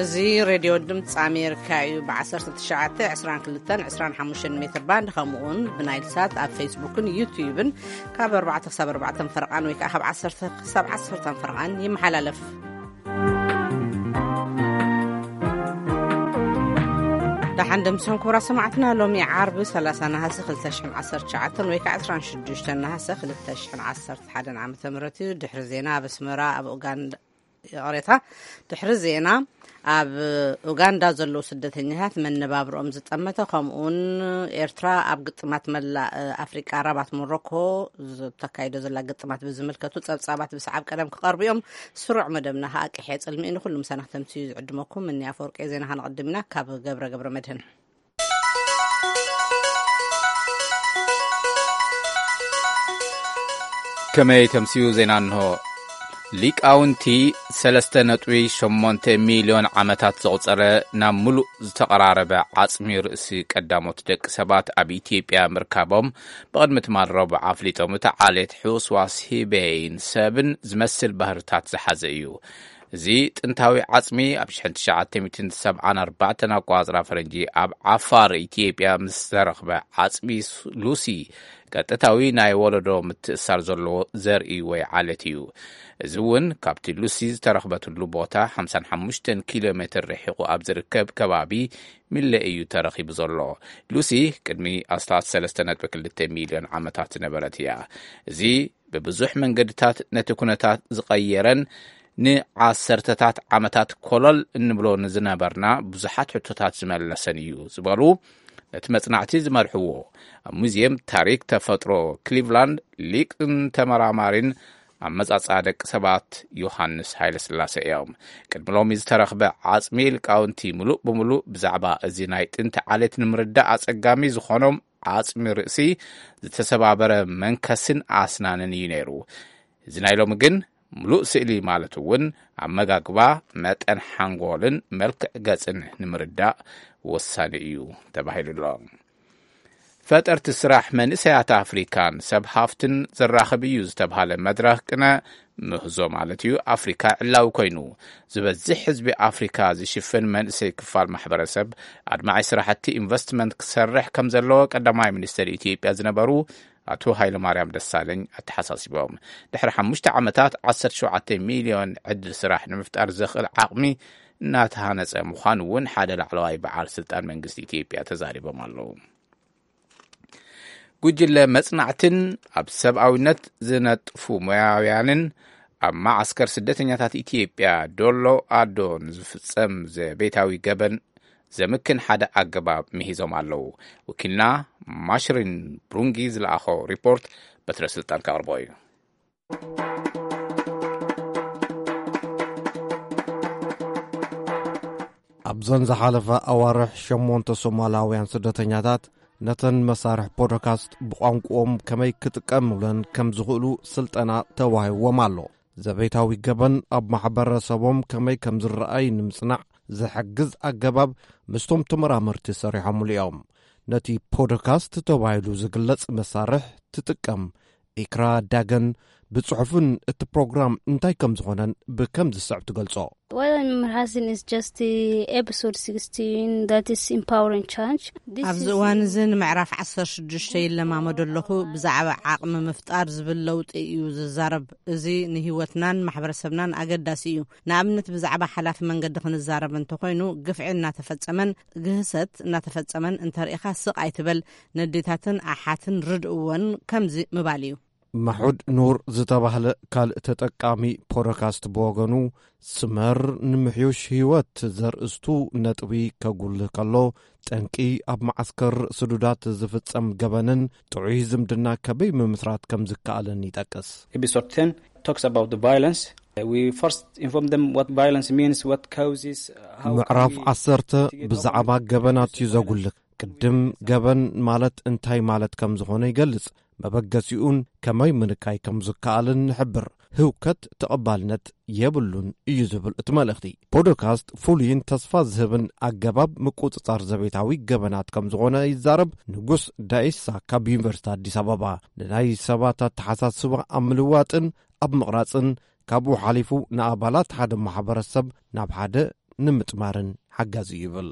እዚ ሬድዮ ድምፂ ኣሜሪካ እዩ። ብ19፣ 22፣ 25 ሜትር ባንድ፣ ከምኡውን ብናይል ሳት ኣብ ፌስቡክን ዩትዩብን ካብ ኣርባዕተ ክሳብ ኣርባዕተ ፈረቓን ወይ ከዓ ካብ ዓሰርተ ክሳብ ዓሰርተ ፈረቓን ይመሓላለፍ። ደሓን ደምሰን ክቡራት ሰማዕትና፣ ሎሚ ዓርቢ ሰላሳ ነሃሰ ክልተ ሽሕን ዓሰርተ ትሽዓተን ወይ ከዓ ዕስራን ሽዱሽተን ነሃሰ ክልተ ሽሕን ዓሰርተ ሓደን ዓመተ ምህረት እዩ። ድሕሪ ዜና ኣብ ኣስመራ፣ ኣብ ኡጋንዳ፣ ይቕሬታ፣ ድሕሪ ዜና ኣብ ኡጋንዳ ዘለዉ ስደተኛታት መነባብርኦም ዝጠመተ፣ ከምኡውን ኤርትራ ኣብ ግጥማት መላእ ኣፍሪቃ ራባት ሞሮኮ ዝተካይዶ ዘላ ግጥማት ብዝምልከቱ ጸብጻባት ብሰዓብ ቀደም ክቐርቡ እዮም። ስሩዕ መደብና ከኣ ቅሕየ ጽልሚ እዩ። ንኹሉ ምሳና ክተምስዩ ዝዕድመኩም እኒ ኣፈወርቂ። ዜና ከነቐድም ኢና ካብ ገብረ ገብረ መድህን። ከመይ ተምስዩ ዜና እንሆ። ሊቃውንቲ ሰለስተ ነጥቢ ሸሞንተ ሚልዮን ዓመታት ዘቑጸረ ናብ ምሉእ ዝተቐራረበ ዓጽሚ ርእሲ ቀዳሞት ደቂ ሰባት ኣብ ኢትዮጵያ ምርካቦም ብቕድሚ ትማል ረቡዕ ኣፍሊጦም። እቲ ዓሌት ሕውስዋስ ሂበይን ሰብን ዝመስል ባህርታት ዝሓዘ እዩ። እዚ ጥንታዊ ዓጽሚ ኣብ ሽሕን ትሽዓተ ሚእትን ሰብዓን ኣርባዕተን ኣቆጻጽራ ፈረንጂ ኣብ ዓፋር ኢትዮጵያ ምስ ተረኽበ፣ ዓጽሚ ሉሲ ቀጥታዊ ናይ ወለዶ ምትእሳር ዘለዎ ዘርኢ ወይ ዓሌት እዩ። እዚ እውን ካብቲ ሉሲ ዝተረኽበትሉ ቦታ ሓምሳን ሓሙሽተን ኪሎ ሜትር ርሒቑ ኣብ ዝርከብ ከባቢ ሚለ እዩ ተረኺቡ ዘሎ። ሉሲ ቅድሚ ኣስታት ሰለስተ ነጥቢ ክልተ ሚልዮን ዓመታት ዝነበረት እያ። እዚ ብብዙሕ መንገድታት ነቲ ኩነታት ዝቐየረን ንዓሰርተታት ዓመታት ኮለል እንብሎ ንዝነበርና ብዙሓት ሕቶታት ዝመለሰን እዩ ዝበሉ ነቲ መጽናዕቲ ዝመርሕዎ ኣብ ሙዚየም ታሪክ ተፈጥሮ ክሊቭላንድ ሊቅን ተመራማሪን ኣመጻጽኣ ደቂ ሰባት ዮሃንስ ሃይለስላሴ እዮም። ቅድሚ ሎሚ ዝተረኽበ ዓጽሚ ሊቃውንቲ ምሉእ ብምሉእ ብዛዕባ እዚ ናይ ጥንቲ ዓሌት ንምርዳእ ኣጸጋሚ ዝኾኖም ዓጽሚ ርእሲ ዝተሰባበረ መንከስን ኣስናንን እዩ ነይሩ። እዚ ናይ ሎሚ ግን ምሉእ ስእሊ ማለት እውን ኣመጋግባ፣ መጠን ሓንጎልን መልክዕ ገጽን ንምርዳእ ወሳኒ እዩ ተባሂሉ ኣሎ። ፈጠርቲ ስራሕ መንእሰያት ኣፍሪካን ሰብ ሃፍትን ዘራኽብ እዩ ዝተብሃለ መድረኽ ቅነ ምህዞ ማለት እዩ ኣፍሪካ ዕላዊ ኮይኑ፣ ዝበዝሕ ህዝቢ ኣፍሪካ ዝሽፍን መንእሰይ ክፋል ማሕበረሰብ ኣድማዒ ስራሕቲ ኢንቨስትመንት ክሰርሕ ከም ዘለዎ ቀዳማይ ሚኒስትር ኢትዮጵያ ዝነበሩ ኣቶ ሃይለማርያም ደሳለኝ ኣተሓሳሲቦም። ድሕሪ ሓሙሽተ ዓመታት ዓሰርተ ሸውዓተ ሚልዮን ዕድል ስራሕ ንምፍጣር ዘኽእል ዓቕሚ እናተሃነፀ ምዃኑ እውን ሓደ ላዕለዋይ በዓል ስልጣን መንግስቲ ኢትዮጵያ ተዛሪቦም ኣለዉ። ጉጅለ መጽናዕትን ኣብ ሰብኣዊነት ዝነጥፉ ሞያውያንን ኣብ መዓስከር ስደተኛታት ኢትዮጵያ ዶሎ ኣዶ ንዝፍጸም ዘቤታዊ ገበን ዘምክን ሓደ ኣገባብ ምሂዞም ኣለዉ። ወኪልና ማሽሪን ብሩንጊ ዝለኣኾ ሪፖርት በትረ ስልጣን ከቕርቦ እዩ። ኣብዘን ዝሓለፋ ኣዋርሕ ሸሞንተ ሶማላውያን ስደተኛታት ነተን መሳርሕ ፖድካስት ብቋንቋኦም ከመይ ክጥቀምለን ከም ዝኽእሉ ስልጠና ተዋሂብዎም ኣሎ። ዘቤታዊ ገበን ኣብ ማሕበረሰቦም ከመይ ከም ዝረኣይ ንምጽናዕ ዝሕግዝ ኣገባብ ምስቶም ተመራመርቲ ሰሪሖምሉ እዮም። ነቲ ፖድካስት ተባሂሉ ዝግለጽ መሳርሕ ትጥቀም ኢክራ ዳገን ብጽሑፍን እቲ ፕሮግራም እንታይ ከም ዝኾነን ብከም ዝስዕብ ትገልጾ። What I'm rehearsing is just the episode sixteen, that is empowering change. This ኣብዚ is እዋን እዚ ንምዕራፍ ዓሰርተ ሽዱሽተ ይለማመዶ ኣለኹ። ብዛዕባ ዓቕሚ ምፍጣር ዝብል ለውጢ እዩ ዝዛረብ። እዚ ንህይወትናን ማሕበረሰብናን ኣገዳሲ እዩ። ንኣብነት ብዛዕባ ሓላፊ መንገዲ ክንዛረብ እንተኾይኑ፣ ግፍዒ እናተፈጸመን ግህሰት እናተፈጸመን እንተርኢኻ ስቕ ኣይትበል። ነዴታትን ኣሓትን ርድእወን ከምዚ ምባል እዩ። ማሑድ ኑር ዝተባህለ ካልእ ተጠቃሚ ፖድካስት ብወገኑ፣ ስመር ንምሕዩሽ ህይወት ዘርእስቱ ነጥቢ ከጉልህ ከሎ፣ ጠንቂ ኣብ መዓስከር ስዱዳት ዝፍጸም ገበንን ጥዑይ ዝምድና ከበይ ምምስራት ከም ዝከኣልን ይጠቅስ። Episode ten talks about the violence. We first inform them what violence means, what causes, how can ምዕራፍ we ዓሰርተ mitigate ብዛዕባ over ገበናት እዩ violence. ዘጉልህ። ቅድም ገበን ማለት እንታይ ማለት ከም ዝኾነ ይገልጽ። መበገሲኡን ከመይ ምንካይ ከም ዝከኣልን ንሕብር። ህውከት ተቐባልነት የብሉን እዩ ዝብል እቲ መልእኽቲ። ፖድካስት ፍሉይን ተስፋ ዝህብን ኣገባብ ምቁጽጻር ዘቤታዊ ገበናት ከም ዝኾነ ይዛረብ ንጉስ ዳኢሳ ካብ ዩኒቨርሲቲ ኣዲስ ኣበባ። ንናይ ሰባት ኣተሓሳስባ ኣብ ምልዋጥን ኣብ ምቕራጽን፣ ካብኡ ሓሊፉ ንኣባላት ሓደ ማሕበረሰብ ናብ ሓደ ንምጥማርን ሓጋዚ እዩ ይብል።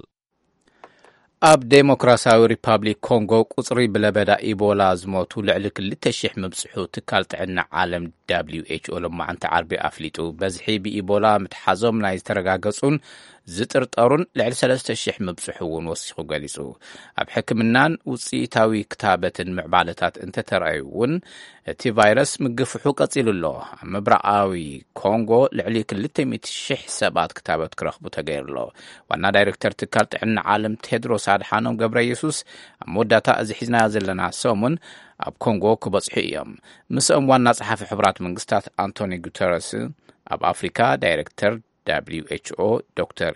ኣብ ዴሞክራሲያዊ ሪፓብሊክ ኮንጎ ቁጽሪ ብለበዳ ኢቦላ ዝሞቱ ልዕሊ ክልተ ሽሕ ምብጽሑ ትካል ጥዕና ዓለም ደብሊው ኤች ኦ ሎማዓንቲ ዓርቢ ኣፍሊጡ። በዝሒ ብኢቦላ ምትሓዞም ናይ ዝተረጋገጹን ዝጥርጠሩን ልዕሊ ሰለስተ ሽሕ ምብጽሑ እውን ወሲኹ ገሊጹ። ኣብ ሕክምናን ውጽኢታዊ ክታበትን ምዕባለታት እንተተረኣዩ እውን እቲ ቫይረስ ምግፍሑ ቀጺሉ ኣሎ። ኣብ ምብራቓዊ ኮንጎ ልዕሊ ክልተ ሚእቲ ሽሕ ሰባት ክታበት ክረኽቡ ተገይሩ ኣሎ። ዋና ዳይሬክተር ትካል ጥዕና ዓለም ቴድሮስ ኣድሓኖም ገብረ የሱስ ኣብ መወዳእታ እዚ ሒዝናዮ ዘለና ሰሙን ኣብ ኮንጎ ክበጽሑ እዮም። ምስኦም ዋና ጸሓፊ ሕቡራት መንግስታት ኣንቶኒ ጉተረስ፣ ኣብ ኣፍሪካ ዳይሬክተር ደብሊው ኤች ኦ ዶክተር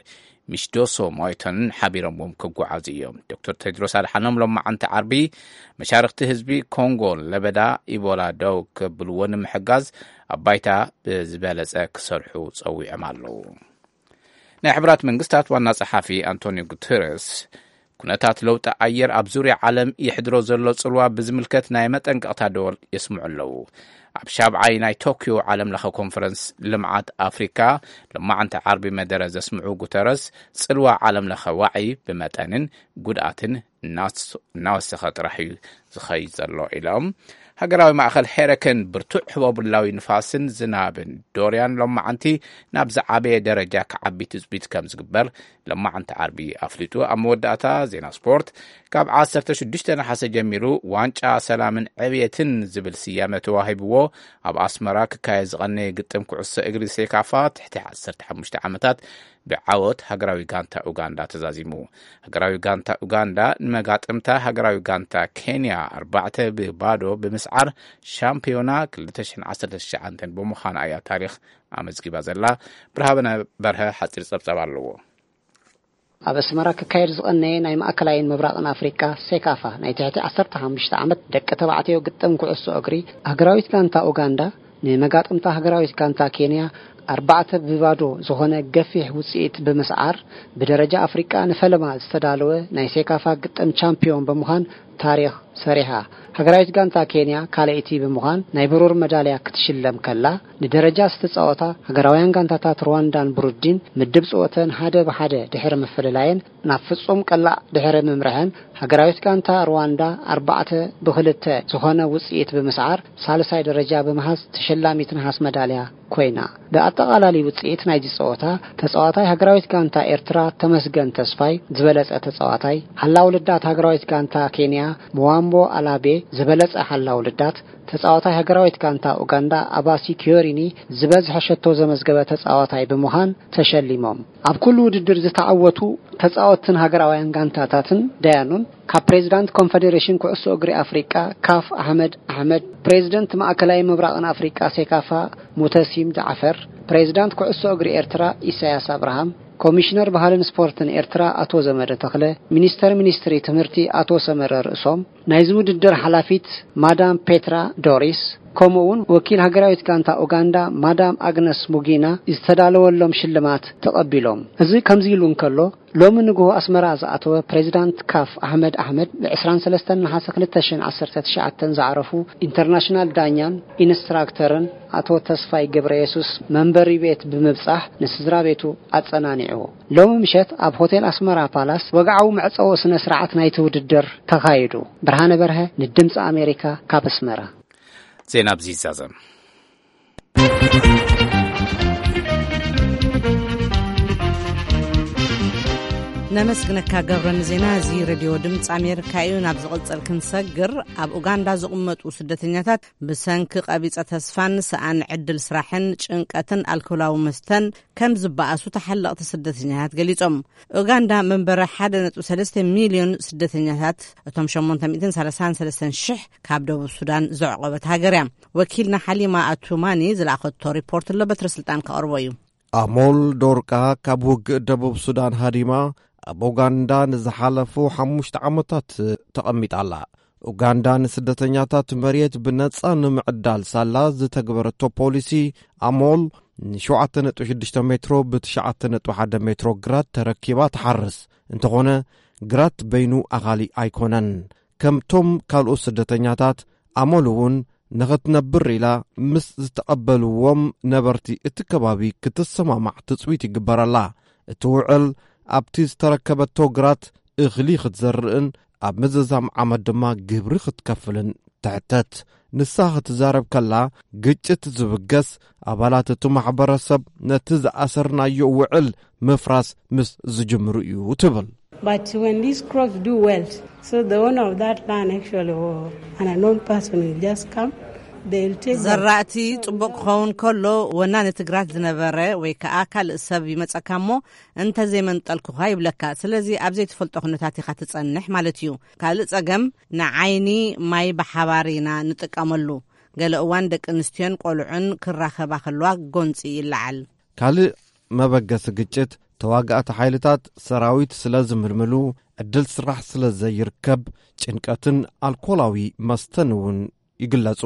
ሚሽዶሶ ሞይቶንን ሓቢሮምዎም ክጓዓዙ እዮም። ዶክተር ቴድሮስ ኣድሓኖም ሎማዓንቲ ዓርቢ መሻርኽቲ ህዝቢ ኮንጎ ለበዳ ኢቦላ ደው ከብልዎ ንምሕጋዝ ኣብ ባይታ ብዝበለጸ ክሰርሑ ጸዊዖም ኣለዉ። ናይ ሕቡራት መንግስታት ዋና ጸሓፊ ኣንቶኒዮ ጉተረስ፣ ኩነታት ለውጢ ኣየር ኣብ ዙርያ ዓለም የሕድሮ ዘሎ ጽልዋ ብዝምልከት ናይ መጠንቀቕታ ደወል የስምዑ ኣለዉ። ኣብ ሻብዓይ ናይ ቶክዮ ዓለም ለኸ ኮንፈረንስ ልምዓት ኣፍሪካ ሎማዓንቲ ዓርቢ መደረ ዘስምዑ ጉተረስ፣ ጽልዋ ዓለም ለኸ ዋዒ ብመጠንን ጉድኣትን እናስ-፣ እናወሰኸ ጥራሕ እዩ ዝኸይድ ዘሎ ኢሎም። ሃገራዊ ማእኸል ሄረከን ብርቱዕ ህቦብላዊ ንፋስን ዝናብን ዶርያን ሎማዓንቲ ናብ ዝዓበየ ደረጃ ክዓቢ ትጽቢት ከም ዝግበር ሎማዓንቲ ዓርቢ ኣፍሊጡ። ኣብ መወዳእታ ዜና ስፖርት፣ ካብ ዓሰርተ ሽዱሽተ ነሓሰ ጀሚሩ ዋንጫ ሰላምን ዕብየትን ዝብል ስያመ ተዋሂብዎ ኣብ ኣስመራ ክካየድ ዝቐነየ ግጥም ኩዕሶ እግሪ ሴካፋ ትሕቲ ዓሰርተ ሓሙሽተ ዓመታት ብዓወት ሃገራዊ ጋንታ ኡጋንዳ ተዛዚሙ። ሃገራዊ ጋንታ ኡጋንዳ ንመጋጥምታ ሃገራዊ ጋንታ ኬንያ ኣርባዕተ ብባዶ ብምስዓር ሻምፒዮና ክልተ ሽሕን ዓሰርተ ትሽዓተን ብምዃና እያ ታሪኽ ኣመዝጊባ ዘላ። ብርሃነ በርሀ ሓጺር ጸብጻብ ኣለዎ። ኣብ ኣስመራ ክካየድ ዝቐነየ ናይ ማእከላይን ምብራቕን ኣፍሪቃ ሴካፋ ናይ ትሕቲ ዓሰርተ ሓሙሽተ ዓመት ደቂ ተባዕትዮ ግጥም ኩዕሶ እግሪ፣ ሃገራዊት ጋንታ ኡጋንዳ ንመጋጥምታ ሃገራዊት ጋንታ ኬንያ ኣርባዕተ ብባዶ ዝኾነ ገፊሕ ውጽኢት ብምስዓር፣ ብደረጃ ኣፍሪቃ ንፈለማ ዝተዳለወ ናይ ሴካፋ ግጥም ቻምፒዮን ብምዃን ታሪኽ ሰሪሓ። ሃገራዊት ጋንታ ኬንያ ካልኣይቲ ብምዃን ናይ ብሩር መዳልያ ክትሽለም ከላ፣ ንደረጃ ዝተጻወታ ሃገራውያን ጋንታታት ሩዋንዳን ብሩንዲን ምድብ ጸወተን ሓደ ብሓደ ድሕሪ ምፍልላየን ናብ ፍጹም ቀላዕ ድሕሪ ምምርሐን፣ ሃገራዊት ጋንታ ሩዋንዳ ኣርባዕተ ብክልተ ዝኾነ ውጽኢት ብምስዓር ሳልሳይ ደረጃ ብምሓዝ ተሸላሚት ነሃስ መዳልያ ኮይና። ብኣጠቓላሊ ውጽኢት ናይዚ ጸወታ፣ ተጻዋታይ ሃገራዊት ጋንታ ኤርትራ ተመስገን ተስፋይ ዝበለጸ ተጻዋታይ፣ ሓላው ልዳት ሃገራዊት ጋንታ ኬንያ ምዋምቦ ኣላቤ ዝበለጸ ሓላው ልዳት፣ ተጻዋታይ ሃገራዊት ጋንታ ኡጋንዳ ኣባሲ ኪዮሪኒ ዝበዝሐ ሸቶ ዘመዝገበ ተጻዋታይ ብምዃን ተሸሊሞም። ኣብ ኩሉ ውድድር ዝተዓወቱ ተጻወትትን ሃገራውያን ጋንታታትን ዳያኑን፣ ካብ ፕሬዚዳንት ኮንፈደሬሽን ኩዕሶ እግሪ ኣፍሪቃ ካፍ ኣሕመድ ኣሕመድ፣ ፕሬዚደንት ማእከላይ ምብራቕን ኣፍሪቃ ሴካፋ ሙተሲም ጃዕፈር፣ ፕሬዚዳንት ኩዕሶ እግሪ ኤርትራ ኢሳያስ ኣብርሃም፣ ኮሚሽነር ባህልን ስፖርትን ኤርትራ ኣቶ ዘመደ ተኽለ፣ ሚኒስተር ሚኒስትሪ ትምህርቲ ኣቶ ሰመረ ርእሶም፣ ናይዚ ውድድር ሓላፊት ማዳም ፔትራ ዶሪስ፣ ከምኡ እውን ወኪል ሃገራዊት ጋንታ ኡጋንዳ ማዳም ኣግነስ ሙጊና ዝተዳለወሎም ሽልማት ተቐቢሎም። እዚ ከምዚ ኢሉ እንከሎ፣ ሎሚ ንግሆ ኣስመራ ዝኣተወ ፕሬዚዳንት ካፍ ኣሕመድ ኣሕመድ፣ ብ ዕስራን ሰለስተን ነሓሰ ክልተ ሽሕን ዓሰርተ ትሽዓተን ዝዓረፉ ኢንተርናሽናል ዳኛን ኢንስትራክተርን ኣቶ ተስፋይ ገብረ የሱስ መንበሪ ቤት ብምብጻሕ ንስድራ ቤቱ ኣጸናኒዕዎ። ሎሚ ምሸት ኣብ ሆቴል ኣስመራ ፓላስ ወግዓዊ መዕጸዊ ስነ ስርዓት ናይቲ ውድድር ተኻይዱ። ብርሃነ በርሀ ንድምጺ ኣሜሪካ ካብ ኣስመራ። ዜና ኣብዚ ይዛዘም። ነመስግነካ ገብረ ንዜና። እዚ ሬድዮ ድምፂ ኣሜሪካ እዩ። ናብ ዝቕጽል ክንሰግር፣ ኣብ ኡጋንዳ ዝቕመጡ ስደተኛታት ብሰንኪ ቀቢጸ ተስፋን ሰኣን ዕድል ስራሕን ጭንቀትን ኣልኮላዊ መስተን ከም ዝበኣሱ ተሓለቕቲ ስደተኛታት ገሊጾም። ኡጋንዳ መንበሪ ሓደ ነጥቢ ሰለስተ ሚልዮን ስደተኛታት፣ እቶም ሸሞንተ ሚእትን ሰላሳን ሰለስተን ሽሕ ካብ ደቡብ ሱዳን ዘዕቆበት ሃገር እያ። ወኪልና ሓሊማ ኣቱማኒ ዝለኣኸቶ ሪፖርት ኣሎ፣ በትረ ስልጣን ከቕርቦ እዩ። ኣሞል ዶርቃ ካብ ውግእ ደቡብ ሱዳን ሃዲማ ኣብ ኡጋንዳ ንዝሓለፉ ሓሙሽተ ዓመታት ተቐሚጣ ኣላ። ኡጋንዳ ንስደተኛታት መሬት ብነጻ ንምዕዳል ሳላ ዝተግበረቶ ፖሊሲ፣ ኣሞል ንሸውዓተ ነጥቢ ሽዱሽተ ሜትሮ ብትሽዓተ ነጥቢ ሓደ ሜትሮ ግራት ተረኪባ ትሓርስ። እንተኾነ፣ ግራት በይኑ ኣኻሊ ኣይኮነን። ከምቶም ካልኦት ስደተኛታት፣ ኣሞል እውን ንኽትነብር ኢላ ምስ ዝተቐበልዎም ነበርቲ እቲ ከባቢ ክትሰማማዕ ትጽቢት ይግበረላ። እቲ ውዕል ኣብቲ ዝተረከበቶ ግራት እኽሊ ክትዘርእን ኣብ ምዝዛም ዓመት ድማ ግብሪ ክትከፍልን ትሕተት። ንሳ ክትዛረብ ከላ፣ ግጭት ዝብገስ ኣባላት እቲ ማሕበረሰብ ነቲ ዝኣሰርናዮ ውዕል ምፍራስ ምስ ዝጅምሩ እዩ ትብል። But when these crops do well, so the owner of that land actually, or an unknown person will just come, they'll take them. ዘራእቲ ጽቡቕ ክኸውን ከሎ፣ ወናኒ እቲ ግራት ዝነበረ ወይ ከኣ ካልእ ሰብ ይመጸካ እሞ፣ "እንተ ዘይመንጠልኩኻ" ይብለካ። ስለዚ ኣብ ዘይትፈልጦ ኩነታት ኢኻ ትጸንሕ ማለት እዩ። ካልእ ጸገም፣ ንዓይኒ ማይ ብሓባር ኢና ንጥቀመሉ። ገለ እዋን ደቂ ኣንስትዮን ቆልዑን ክራኸባ ከለዋ ጎንጺ ይለዓል። ካልእ መበገሲ ግጭት፣ ተዋጋእቲ ሓይልታት ሰራዊት ስለ ዝምልምሉ፣ ዕድል ስራሕ ስለ ዘይርከብ፣ ጭንቀትን ኣልኮላዊ መስተን እውን ይግለጹ።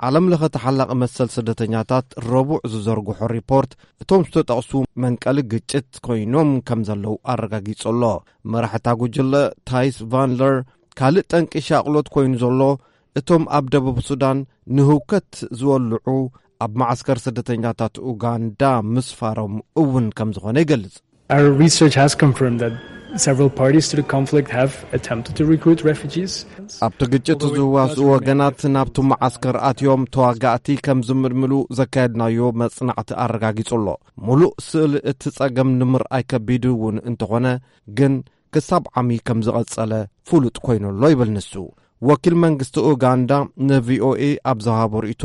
ዓለም ለኸ ተሓላቒ መሰል ስደተኛታት ረቡዕ ዝዘርግሖ ሪፖርት፣ እቶም ዝተጠቕሱ መንቀሊ ግጭት ኮይኖም ከም ዘለዉ ኣረጋጊጹ ኣሎ። መራሕታ ጉጅለ ታይስ ቫንለር፣ ካልእ ጠንቂ ሻቕሎት ኮይኑ ዘሎ፣ እቶም ኣብ ደቡብ ሱዳን ንህውከት ዝወልዑ ኣብ መዓስከር ስደተኛታት ኡጋንዳ ምስፋሮም እውን ከም ዝኾነ ይገልጽ። Our research has confirmed that several parties to the conflict have attempted to recruit refugees. ኣብቲ ግጭት ዝዋስኡ ወገናት ናብቲ መዓስከር ኣትዮም ተዋጋእቲ ከም ዝምልምሉ ዘካየድናዮ መጽናዕቲ ኣረጋጊጹ ኣሎ። ሙሉእ ስእሊ እቲ ጸገም ንምርኣይ ከቢድ እውን እንተኾነ፣ ግን ክሳብ ዓሚ ከም ዝቐጸለ ፍሉጥ ኮይኑ ኣሎ ይብል ንሱ። ወኪል መንግስቲ ኡጋንዳ ንቪኦኤ ኣብ ዝሃቦ ርእይቶ፣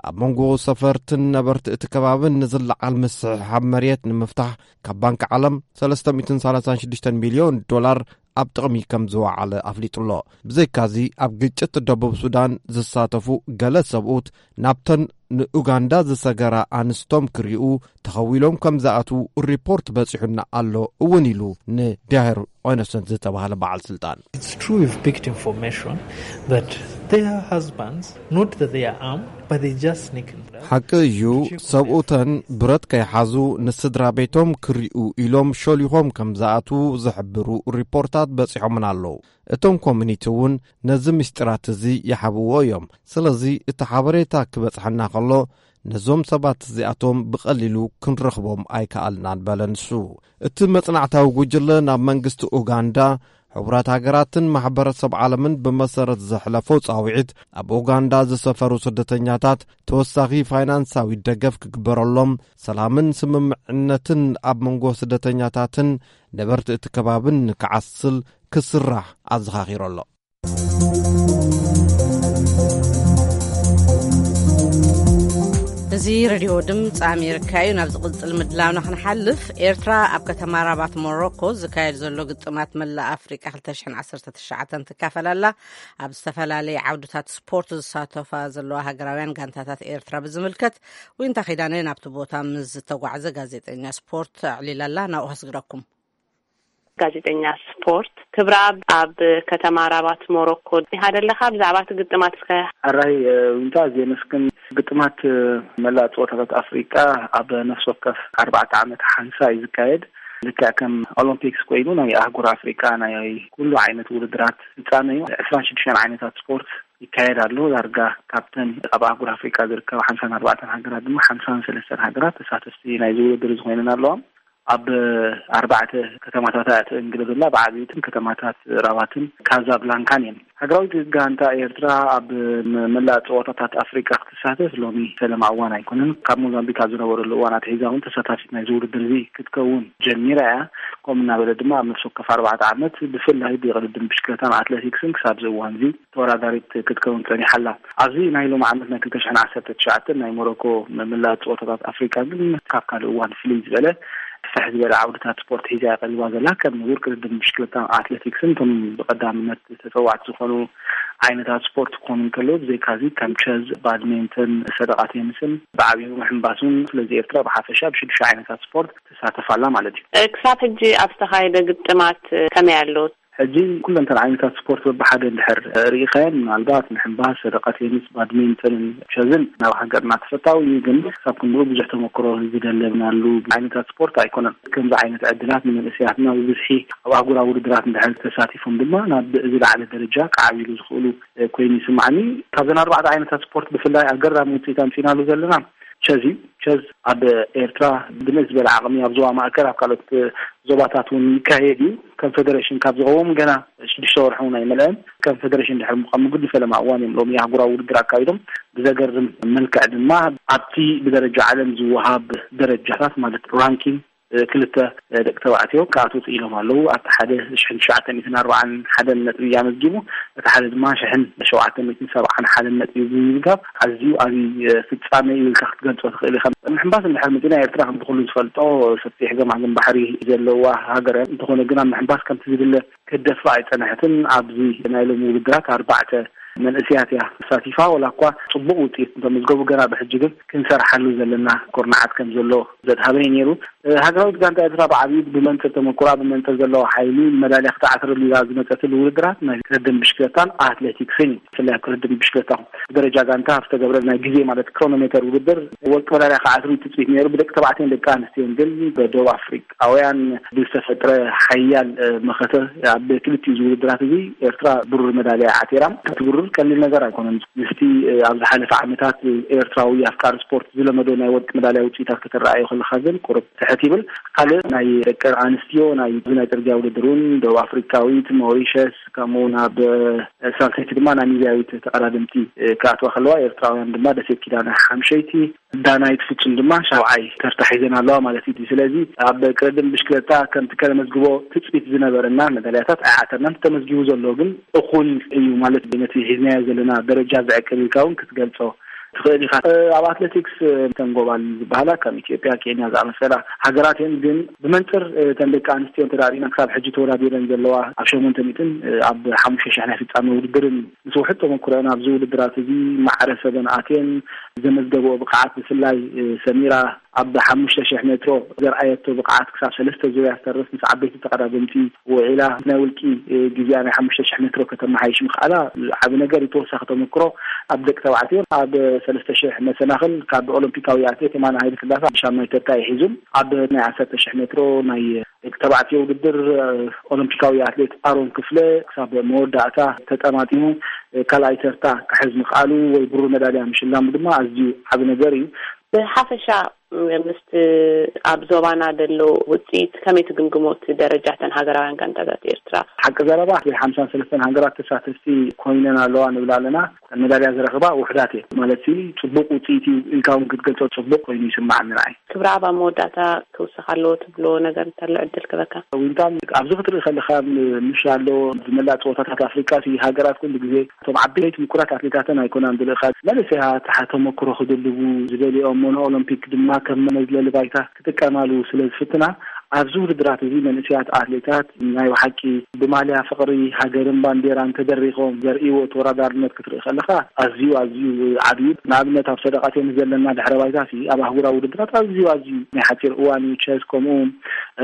ኣብ መንጎ ሰፈርትን ነበርቲ እቲ ከባብን ንዝለዓል ምስሕሓብ መሬት ንምፍታሕ ካብ ባንኪ ዓለም ሰለስተ ሚእትን ሰላሳን ሽዱሽተን ሚልዮን ዶላር ኣብ ጥቕሚ ከም ዝወዓለ ኣፍሊጡ ኣሎ። ብዘይካዚ፣ ኣብ ግጭት ደቡብ ሱዳን ዝሳተፉ ገለ ሰብኡት ናብተን ንኡጋንዳ ዝሰገራ ኣንስቶም ክሪኡ ተኸዊሎም ከም ዝኣትዉ ሪፖርት በጺሑና ኣሎ እውን ኢሉ ንዳሄር ኦነሰንት ዝተባህለ በዓል ስልጣን። It's true, we've picked information that their husbands, not that they are armed, but they just sneak in. ሓቂ እዩ፣ ሰብኡተን ብረት ከይሓዙ ንስድራ ቤቶም ክሪኡ ኢሎም ሾሊኾም ከም ዝኣትዉ ዝሕብሩ ሪፖርታት በጺሖምና ኣለዉ። እቶም ኮሚኒቲ እውን ነዚ ምስጢራት እዚ ይሓብዎ እዮም። ስለዚ እቲ ሓበሬታ ክበጽሐና ከሎ፣ ነዞም ሰባት እዚኣቶም ብቐሊሉ ክንረኽቦም ኣይከኣልናን በለ ንሱ። እቲ መጽናዕታዊ ጉጅለ ናብ መንግስቲ ኡጋንዳ፣ ሕቡራት ሃገራትን ማሕበረሰብ ዓለምን ብመሰረት ዘሕለፎ ጻውዒት፣ ኣብ ኡጋንዳ ዝሰፈሩ ስደተኛታት ተወሳኺ ፋይናንሳዊ ደገፍ ክግበረሎም፣ ሰላምን ስምምዕነትን ኣብ መንጎ ስደተኛታትን ነበርቲ እቲ ከባብን ንክዓስል ክስራሕ ኣዘኻኺሩ ኣሎ። እዚ ሬድዮ ድምፂ ኣሜሪካ እዩ። ናብ ዝቕጽል ምድላውና ክንሓልፍ፣ ኤርትራ ኣብ ከተማ ራባት ሞሮኮ ዝካየድ ዘሎ ግጥማት መላእ ኣፍሪቃ ክልተ ሽሕን ዓሰርተ ትሽዓተን ትካፈል ኣላ። ኣብ ዝተፈላለየ ዓውድታት ስፖርት ዝሳተፋ ዘለዋ ሃገራውያን ጋንታታት ኤርትራ ብዝምልከት፣ ዊንታ ኪዳነ ናብቲ ቦታ ምስ ዝተጓዕዘ ጋዜጠኛ ስፖርት ኣዕሊላ ኣላ። ናብኡ ከስግረኩም። ጋዜጠኛ ስፖርት ክብረኣብ ኣብ ከተማ ራባት ሞሮኮ ኢኻ ዘለኻ። ብዛዕባ እቲ ግጥማት እስከ። ኣራይ፣ እ፣ ዊንታ፣ ኣዝየ የመስግን። ግጥማት፣ እ፣ መላእ ጸወታታት ኣፍሪቃ ኣብ ነፍሲ ወከፍ ኣርባዕተ ዓመት ሓንሳ እዩ ዝካየድ። ልክዕ ከም ኦሎምፒክስ ኮይኑ ናይ ኣህጉር ኣፍሪቃ ናይ ኩሉ ዓይነት ውድድራት ፍጻመ እዩ። ዕስራን ሽዱሽተን ዓይነታት ስፖርት ይካየድ ኣሎ። ዳርጋ ካብተን ኣብ ኣህጉር ኣፍሪቃ ዝርከባ ሓምሳን ኣርባዕተን ሃገራት ድማ ሓምሳን ሰለስተን ሃገራት ተሳተፍቲ ናይዚ ውድድር እዚ ኮይነን ኣለዋ። ኣብ ኣርባዕተ ከተማታት እያ ትእንግድ ዘላ፣ ብዓብይትን ከተማታት ራባትን ካዛብላንካን እየን። ሃገራዊት ጋንታ ኤርትራ ኣብ መ-፣ መላእ ጸወታታት ኣፍሪቃ ክትሳተፍ ሎሚ ፈለማ እዋን ኣይኮነን። ካብ ሞዛምቢክ ኣብ ዝነበረሉ እዋን ኣትሒዛ እውን ተሳታፊት ናይዚ ውድድር እዚ ክትከውን ጀሚራ እያ። ከምኡ እናበለ ድማ ኣብ ነፍሲ ወከፍ ኣርባዕተ ዓመት ብፍላይ ብቕድድም ብሽክለታን ኣትሌቲክስን ክሳብ እዚ እዋን እዚ ተወዳዳሪት ክትከውን ጸኒሓ ኣላ። ኣብዚ ናይ ሎሚ ዓመት ናይ ክልተ ሽሕን ዓሰርተ ትሽዓተን ናይ ሞሮኮ መ-፣ መላእ ጸወታታት ኣፍሪቃ ግን ካብ ካልእ እዋን ፍልይ ዝበለ፣ ስፍሕ ዝበለ ዓውድታት ስፖርት ሒዛ እያ ቀሪባ ዘላ። ከም ውድድር ቅድድም ብሽክለታን ኣትሌቲክስን እቶም ብቐዳምነት ተጸዋዕቲ ዝኾኑ ዓይነታት ስፖርት ክኾኑ እንከለዉ፣ ብዘይካዚ ከም ቸዝ፣ ባድሚንተን፣ ሰደቓ ቴኒስን ብዓብዩ ምሕንባስ እውን። ስለዚ ኤርትራ ብሓፈሻ ብሽዱሽተ ዓይነታት ስፖርት ትሳተፍ ኣላ ማለት እዩ። እ፣ ክሳብ ሕጂ ኣብ ዝተኻየደ ግጥማት፣ እ፣ ከመይ ኣሎ? ሕጂ ኩለንተን ዓይነታት ስፖርት በብሓደ እንድሕር ርኢኻየን፣ ምናልባት ምሕንባስ፣ ሰደቓ ቴኒስ፣ ባድሚንተንን ቸዝን ናብ ሃገርና ተፈታዊ እዩ። ግን ክሳብ ክንድኡ ብዙሕ ተመክሮ ዝደለብናሉ ዓይነታት ስፖርት ኣይኮነን። ከምዚ ዓይነት ዕድላት ንመንእሰያትና ብብዝሒ ኣብ ኣህጉራዊ ውድድራት እንድሕር ተሳቲፎም ድማ ናብ ዝለዓለ ደረጃ ክዓብይሉ ዝኽእሉ ኮይኑ ይስማዓኒ። ካብዘን ኣርባዕተ ዓይነታት ስፖርት ብፍላይ ኣገራሚ ውፅኢት ኣምፂእናሉ ዘለና ቸዝ እዩ። ቸዝ ኣብ ኤርትራ ብንእስ ዝበለ ዓቕሚ ኣብ ዞባ ማእከል፣ ኣብ ካልኦት ዞባታት እውን ይካየድ እዩ። ከም ፌደሬሽን ካብ ዝቐውም ገና ሽዱሽተ ወርሒ እውን ኣይመልአን። ከም ፌደሬሽን ድሕሪ ምቋም፣ ምጉዲ ፈለማ እዋን እዮም ሎሚ ኣህጉራዊ ውድድር ኣካይዶም። ብዘገርም መልክዕ ድማ ኣብቲ ብደረጃ ዓለም ዝወሃብ ደረጃታት፣ ማለት ራንኪንግ፣ ክልተ ደቂ ተባዕትዮ ክኣትዉ ክኢሎም ኣለዉ። ኣብቲ ሓደ ሽሕን ትሽዓተ ሚእትን ኣርባዓን ሓደን ነጥቢ ኣመዝጊቡ፣ እቲ ሓደ ድማ ሽሕን ሸውዓተ ሚእትን ሰብዓን ሓደን ነጥቢ ብምምዝጋብ ኣዝዩ ዓብዪ ፍጻመ እዩ ኢልካ ክትገልጾ ትኽእል ኢኻ። ምሕንባስ እንድሕር መጺና፣ ኤርትራ ከምቲ ኩሉ ዝፈልጦ ሰፊሕ ገማግም ባሕሪ ዘለዋ ሃገር እያ። እንተኾነ ግን ኣብ ምሕንባስ ከምቲ ዝድለ ክትደፍእ ኣይጸንሐትን። ኣብዚ ናይ ሎሚ ውድድራት ኣርባዕተ መንእሰያት እያ ተሳቲፋ። ወላ እኳ ጽቡቕ ውጽኢት እንተመዝገቡ፣ ገና ብሕጂ ግን ክንሰርሓሉ ዘለና ኩርናዓት ከም ዘሎ ዘድሃበ እዩ ነይሩ። እ፣ ሃገራዊት ጋንታ ኤርትራ ብዓብዩ ብመንጽር ተመኩራ፣ ብመንጽር ዘለዋ ሓይሊ መዳልያ ክትዓትረሉ ኢላ ዝመጸትሉ ውድድራት ናይ ቅድድም ብሽክለታን ኣትሌቲክስን እዩ። ብፍላይ ኣብ ቅድድም ብሽክለታ ብደረጃ ጋንታ ኣብ ዝተገብረ ናይ ግዜ፣ ማለት ክሮኖሜተር ውድድር፣ ወርቂ መዳልያ ክዓትሩ እዩ ትጽቢት ነይሩ። ብደቂ ተባዕትዮን ደቂ ኣንስትዮን ግን ብደቡብ ኣፍሪቃውያን ብዝተፈጥረ ሓያል፣ እ፣ መኸተ ኣብ ክልቲኡ እዚ ውድድራት እዚ ኤርትራ ብሩር መዳልያ ዓቲራ። እቲ ብሩር ቀሊል ነገር ኣይኮነን። ምስቲ፣ እ፣ ኣብ ዝሓለፈ ዓመታት ኤርትራዊ ኣፍቃሪ ስፖርት ዝለመዶ ናይ ወርቂ መዳልያ ውጽኢታት ከተረኣዮ ከለኻ ግን ቁሩብ ትሕት ይብል። ካልእ ናይ ደቂ ኣንስትዮ ናይ፣ ናይ ጽርግያ ውድድር እውን ደቡብ ኣፍሪካዊት፣ ሞሪሸስ፣ ከምኡ እውን ኣብ ሳልሰይቲ ድማ ናሚብያዊት ተቐዳደምቲ ክኣትዋ ከለዋ፣ ኤርትራውያን ድማ ደሴት ኪዳነ ሓምሸይቲ፣ ዳናይት ፍጹም ድማ ሻብዓይ ተርታ ሒዘን ኣለዋ ማለት እዩ። ስለዚ ኣብ ቅድድም ብሽክለታ ከምቲ ከነመዝግቦ ትጽቢት ዝነበረና መዳልያታት ኣይዓተርናን። ተመዝጊቡ ዘሎ ግን እኹል እዩ ማለት፣ ነቲ ሒዝናዮ ዘለና ደረጃ ዘዕቅብ ኢልካ እውን ክትገልጾ ትኽእል ኢኻ። እ፣ ኣብ ኣትሌቲክስ፣ እ፣ እተን ጎባል ዝበሃላ ከም ኢትዮጵያ፣ ኬንያ ዝኣመሰላ ሃገራት እየን። ግን ብመንጽር፣ እ፣ እተን ደቂ ኣንስትዮ እንተ ርኢና፣ ክሳብ ሕጂ ተወዳዲረን ዘለዋ ኣብ ሸሞንተ ሚእትን፣ እ፣ ኣብ ሓሙሽተ ሽሕ ናይ ፍጻመ ውድድርን ምስ ውሑድ ተመኩሮአን ኣብዚ ውድድራት እዚ ማዕረ ሰበን ኣትየን ዘመዝገብኦ ብቕዓት፣ ብፍላይ፣ እ፣ ሰሚራ ኣብ ሓሙሽተ ሽሕ ሜትሮ ዘርኣየቶ ብቕዓት ክሳብ ሰለስተ ዙርያ ዝተርፍ ምስ ዓበይቲ ተቐዳደምቲ ውዒላ ናይ ውልቂ፣ እ፣ ግዜኣ ናይ ሓሙሽተ ሽሕ ሜትሮ ከተመሓይሽ ምኽኣላ ዓቢ ነገር እዩ። ተወሳኺ ተመክሮ ኣብ ደቂ ተባዕትዮ ኣብ ሰለስተ ሽሕ መሰናኽል ካብ ኦሎምፒካዊ ኣትሌት የማነ ሃይለ ስላሴ ሻማይ ተርታ እዩ ሒዙ። ኣብ ናይ ዓሰርተ ሽሕ ሜትሮ ናይ ደቂ ተባዕትዮ ውድድር፣ እ፣ ኦሎምፒካዊ ኣትሌት ኣሮን ክፍለ ክሳብ መወዳእታ ተጠማጢሙ፣ እ፣ ካልኣይ ተርታ ክሕዝ ምኽኣሉ ወይ ብሩር መዳልያ ምሽላሙ ድማ ኣዝዩ ዓቢ ነገር እዩ። ብሓፈሻ፣ ም-፣ ምስቲ ኣብ ዞባና ዘሎ ውጽኢት ከመይ ትግምግሞ፣ እቲ ደረጃ እተን ሃገራውያን ጋንታታት ኤርትራ? ሓቂ ዘረባ፣ ሓምሳን ሰለስተን ሃገራት ተሳተፍቲ ኮይነን ኣለዋ ንብል ኣለና። መዳልያ ዝረኽባ ውሑዳት እየን። ማለት ሲ፣ ጽቡቕ ውጽኢት እዩ ኢልካ እውን ክትገልጾ ጽቡቕ ኮይኑ ይስማዓኒ ንዓይ። ክብረኣብ፣ ኣብ መወዳእታ ክውሰኽ ኣለዎ ትብሎ ነገር እንተሎ ዕድል ክበካ። ዊንታ፣ ኣብዚ ክትርኢ ከለኻ፣ ም-፣ ምሽ ኣሎ፣ ዝመላእ ጸወታታት ኣፍሪቃ ሲ፣ ሃገራት ኩሉ ግዜ እቶም ዓበይቲ ምኩራት ኣትሌታተን ኣይኮናን ዝልእኻ። መንእሰያት ሓ-፣ ተመክሮ ክድልቡ ዝደልኦም፣ ሞኖ ኦሎምፒክ ድማ ከም መዝለሊ ባይታ ክጥቀማሉ ስለ ዝፍትና፣ ኣብዚ ውድድራት እዚ መንእሰያት ኣትሌታት ናይ ብሓቂ ብማልያ ፍቕሪ ሃገርን ባንዴራን ተደሪኾም ዘርእይዎ ተወዳዳርነት ክትርኢ ከለኻ ኣዝዩ፣ ኣዝዩ ዓቢ እዩ። ንኣብነት ኣብ ሰደቓትዮ ዘለና ድሕረ ባይታ ሲ፣ ኣብ ኣህጉራዊ ውድድራት ኣዝዩ፣ ኣዝዩ ናይ ሓጺር እዋን እዩ። ቸስ ከምኡ፣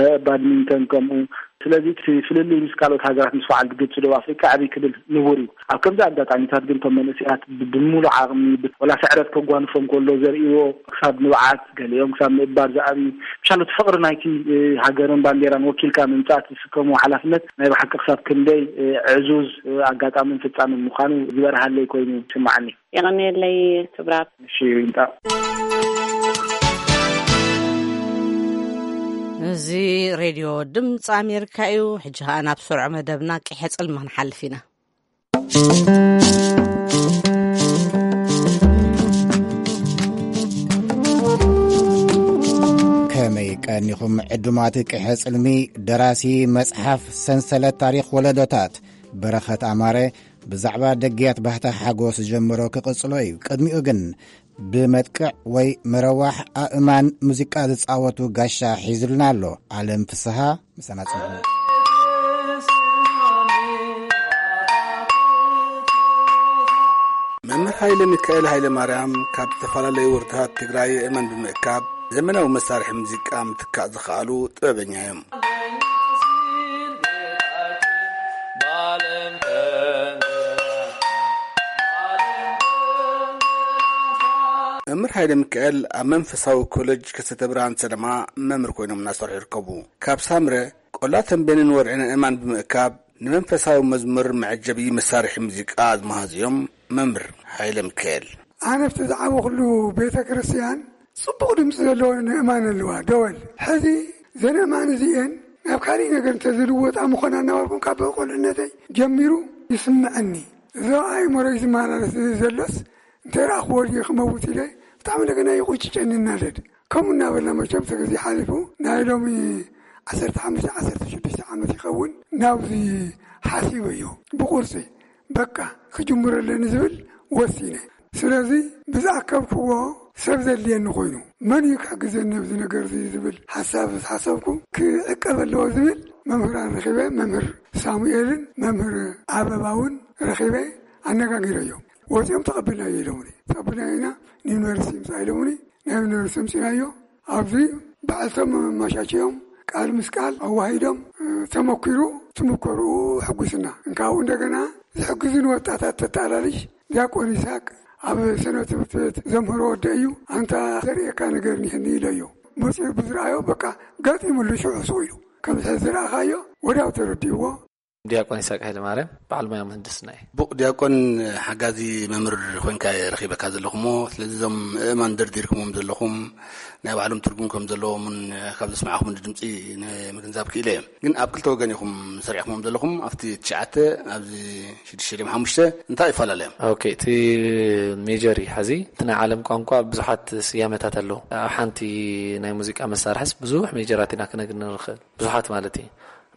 እ፣ ባድሚንተን ከምኡ። ስለዚ እቲ ፍልልይ ምስ ካልኦት ሃገራት ምስ በዓል ግብጺ፣ ደቡብ ኣፍሪቃ ዕብይ ክብል ንቡር እዩ። ኣብ ከምዚ ኣጋጣሚታት ግን እቶም መንእሰያት ብ-፣ ብምሉእ ዓቕሚ ብ-፣ ወላ ስዕረት ከጓንፎም ከሎ ዘርእይዎ ክሳብ ንብዓት፣ ገሊኦም ክሳብ ምእባድ ዝኣብዩ፣ ምሻሉ እቲ ፍቕሪ ናይቲ፣ እ፣ ሃገርን ባንዴራን ወኪልካ ምምጻእ እቲ ዝስከምዎ ሓላፍነት ናይ ብሓቂ ክሳብ ክንደይ፣ እ፣ ዕዙዝ፣ እ፣ ኣጋጣምን ፍጻምን ምዃኑ ዝበርሃለይ ኮይኑ ይስምዓኒ። የቐንየለይ ክብራብ። እሺ፣ ዊንታ። እዚ ሬድዮ ድምፂ ኣሜሪካ እዩ። ሕጂ ኸኣ ናብ ስሩዕ መደብና ቂሐ ጽልሚ ክንሓልፍ ኢና። ከመይ ቀኒኹም ዕዱማት ቂሐ ጽልሚ? ደራሲ መጽሓፍ ሰንሰለት ታሪኽ ወለዶታት በረኸት ኣማረ ብዛዕባ ደግያት ባህታ ሓጎስ ዝጀመሮ ክቕጽሎ እዩ። ቅድሚኡ ግን ብመጥቅዕ ወይ መረዋሕ ኣእማን ሙዚቃ ዝጻወቱ ጋሻ ሒዙልና ኣሎ። ዓለም ፍስሃ ምሳና ጽንሑ። መምህር ሃይለ ሚካኤል ሃይለ ማርያም ካብ ዝተፈላለዩ ወረዳታት ትግራይ ኣእማን ብምእካብ ዘመናዊ መሳርሒ ሙዚቃ ምትካእ ዝኸኣሉ ጥበበኛ እዮም። መምህር ሃይለ ሚካኤል ኣብ መንፈሳዊ ኮሌጅ ከተተ ብርሃን ሰደማ መምህር ኮይኖም እናሰርሑ ይርከቡ። ካብ ሳምረ ቆላ ተንቤንን ወርዕን ኣእማን ብምእካብ ንመንፈሳዊ መዝሙር መዐጀቢ መሳርሒ ሙዚቃ ዝመሃዙ እዮም። መምህር ሃይለ ሚካኤል። ኣነ ኣብቲ ዝዓበኹሉ ቤተ ክርስቲያን ጽቡቕ ድምፂ ዘለዎ ንእማን ኣለዋ ደወል። ሕዚ ዘን እማን እዚአን ናብ ካሊእ ነገር እንተዝልወጣ ምኾና እናበልኩም ካብ ቁልዕነተይ ጀሚሩ ይስምዐኒ። እዚ ኣእምሮይ ዝመላለስ ዘሎስ እንተ ረኣኽዎ ድየ ክመውት ኢለ ብጣዕሚ እንደገና ይቁጭጨኒ እናደድ። ከምኡ እናበልና መቸም እቲ ግዜ ሓሊፉ ናይ ሎሚ ዓሰርተ ሓሙሽተ ዓሰርተ ሽዱሽተ ዓመት ይኸውን ናብዚ ሓሲበዮ ብቁርፂ በቃ ክጅምሮ ኣለኒ ዝብል ወሲነ። ስለዚ ብዝኣከብክዎ ሰብ ዘድልየኒ ኮይኑ መን እዩ ክሕግዘኒ ኣብዚ ነገር እዚ ዝብል ሓሳብ ዝሓሰብኩ ክዕቀብ ኣለዎ ዝብል መምህራን ረኺበ፣ መምህር ሳሙኤልን መምህር ኣበባውን ረኺበ ኣነጋጊረዮም። ወፂኦም ተቐብልናዮ ኢሎምኒ። ተቐብልናዮ ኢና ንዩኒቨርሲቲ ምፃእ ኢሎምኒ። ናይ ዩኒቨርሲቲ ምፂናዮ ኣብዚ ባዕልቶም መማሻችዮም ቃል ምስ ቃል ኣዋሂዶም ተመኪሩ ትምከርኡ ሕጉስና እንካብኡ እንደገና ዝሕግዙን ወጣታት ተጣላልሽ ዲያቆን ይስሐቅ ኣብ ሰነ ትምህርቲ ቤት ዘምህሮ ወደ እዩ። ኣንታ ዘርእየካ ነገር ኒህኒ ኢለዮ። መፅኡ ብዝረኣዮ በቃ ገጢሙሉ ሽዑ ስቕ ኢሉ ከምዚ ዝረኣኻዮ ወዲያው ተረዲእዎ። ዲያቆን ይስሐቅ ኃይለ ማርያም በዓል ሞያ ምህንድስና እዩ። ቡቕ ዲያቆን ሓጋዚ መምህር ኮይንካ እየ ረኺበካ ዘለኹ እሞ ስለዚ እዞም እእማን ደርዲርኩሞም ዘለኹም ናይ ባዕሎም ትርጉም ከም ዘለዎም እውን ካብ ዘስማዕኹም ድምፂ ንምግንዛብ ክኢለ እየ። ግን ኣብ ክልተ ወገን ኢኹም ሰሪዕኩሞም ዘለኹም ኣብቲ ትሽዓተ ኣብዚ ሽዱሽተ ድም ሓሙሽተ እንታይ ይፈላለዮም? ኦኬ፣ እቲ ሜጀር እዩ። ሕዚ እቲ ናይ ዓለም ቋንቋ ብዙሓት ስያመታት ኣለዉ። ኣብ ሓንቲ ናይ ሙዚቃ መሳርሕስ ብዙሕ ሜጀራት ኢና ክነግኒ ንኽእል፣ ብዙሓት ማለት እዩ።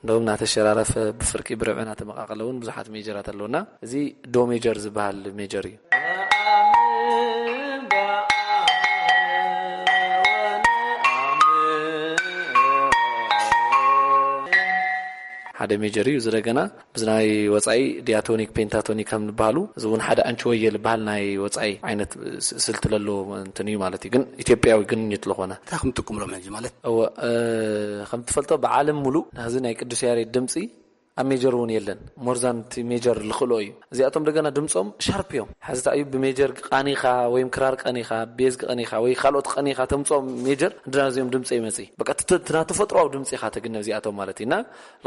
እንደውም እናተሸራረፈ ብፍርቂ ብርብዒ እናተመቃቀለ እውን ብዙሓት ሜጀራት ኣለውና እዚ ዶ ሜጀር ዝበሃል ሜጀር እዩ። ሓደ ሜጀር እዩ። እዚ ደገና ብዚ ናይ ወፃኢ ዲያቶኒክ ፔንታቶኒክ ከም ዝበሃሉ እዚ እውን ሓደ ኣንቺወየ ዝበሃል ናይ ወፃኢ ዓይነት ስ- ስልቲ ለሎ እንትን እዩ ማለት እዩ። ግን ኢትዮጵያዊ ግንኙት ለኾነ እንታይ ከም ትጥቅምሎም ሕጂ ማለት እወ እ፣ ከም ትፈልጦ ብዓለም ሙሉእ ናዚ ናይ ቅዱስ ያሬድ ድምፂ ኣብ ሜጀር እውን የለን። ሞርዛን እቲ ሜጀር ልኽእሎ እዩ። እዚኣቶም ደገና ድምፆም ሻርፕ እዮም። ሕዚ እንታይ እዩ ብሜጀር ቃኒኻ ወይም ክራር ቀኒኻ ቤዝ ቀኒኻ ወይ ካልኦት ቀኒኻ ተምፅኦም ሜጀር እንድና እዚኦም ድምፂ ይመፅእ በቃ እቲ እቲ ናተፈጥሮዊ ድምፂ ኢኻ ተግነ እዚኣቶም ማለት እዩ። እና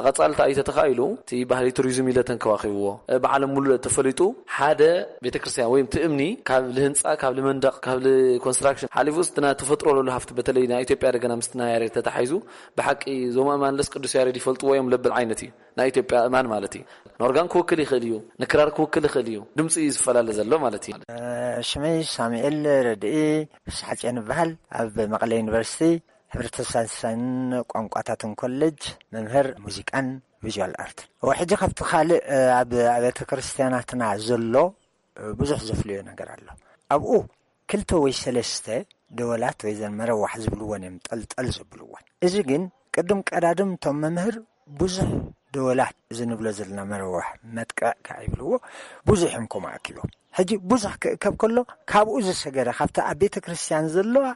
ንቐፃሊ እንታይ እዩ ተተኻኢሉ እቲ ባህሊ ቱሪዝም ኢለ ተንከባኺብዎ እ፣ ብዓለም ሙሉእ ተፈሊጡ ሓደ ቤተክርስትያን ወይም እቲ እምኒ ካብ ልህንፃ ካብ ልመንደቕ ካብ ልኮንስትራክሽን ሓሊፉ እቲ ናተፈጥሮ ለሉ ሃፍቲ በተለይ ናይ ኢትዮጵያ ደገና ምስቲ ናይ ያሬድ ተታሒዙ ብሓቂ እዞም ኣእማንለስ ቅዱስ ያሬድ ይፈልጥዎ እዮም ለብል ዓይነት እዩ። ናይ ኢትዮጵያ እማን ማለት እዩ። ንኦርጋን ክውክል ይኽእል እዩ፣ ንክራር ክውክል ይኽእል እዩ። ድምፂ እዩ ዝፈላለ ዘሎ ማለት እዩ። ሽመይ ሳሙኤል ረድኢ ፍስሓፅዮን ይበሃል። ኣብ መቐለ ዩኒቨርሲቲ ሕብረተሰብ ሳይንስን ቋንቋታትን ኮሌጅ መምህር ሙዚቃን ቪዥዋል ኣርትን። እወ፣ ሕጂ ካብቲ ካልእ ኣብ ኣብያተ ክርስትያናትና ዘሎ ብዙሕ ዘፍልዮ ነገር ኣሎ። ኣብኡ ክልተ ወይ ሰለስተ ደወላት ወይ ዘን መረዋሕ ዝብልወን እዮም ጠልጠል ዘብልወን። እዚ ግን ቅድም ቀዳድም እቶም መምህር ብዙሕ ደወላት እዚ ንብሎ ዘለና መረዋሕ መጥቅዕ ከዓ ይብልዎ ብዙሕ እዮም ከምኡ ኣኪቦም። ሕጂ ብዙሕ ክእከብ ከሎ ካብኡ ዝሰገረ ካብቲ ኣብ ቤተ ክርስቲያን ዘለዋ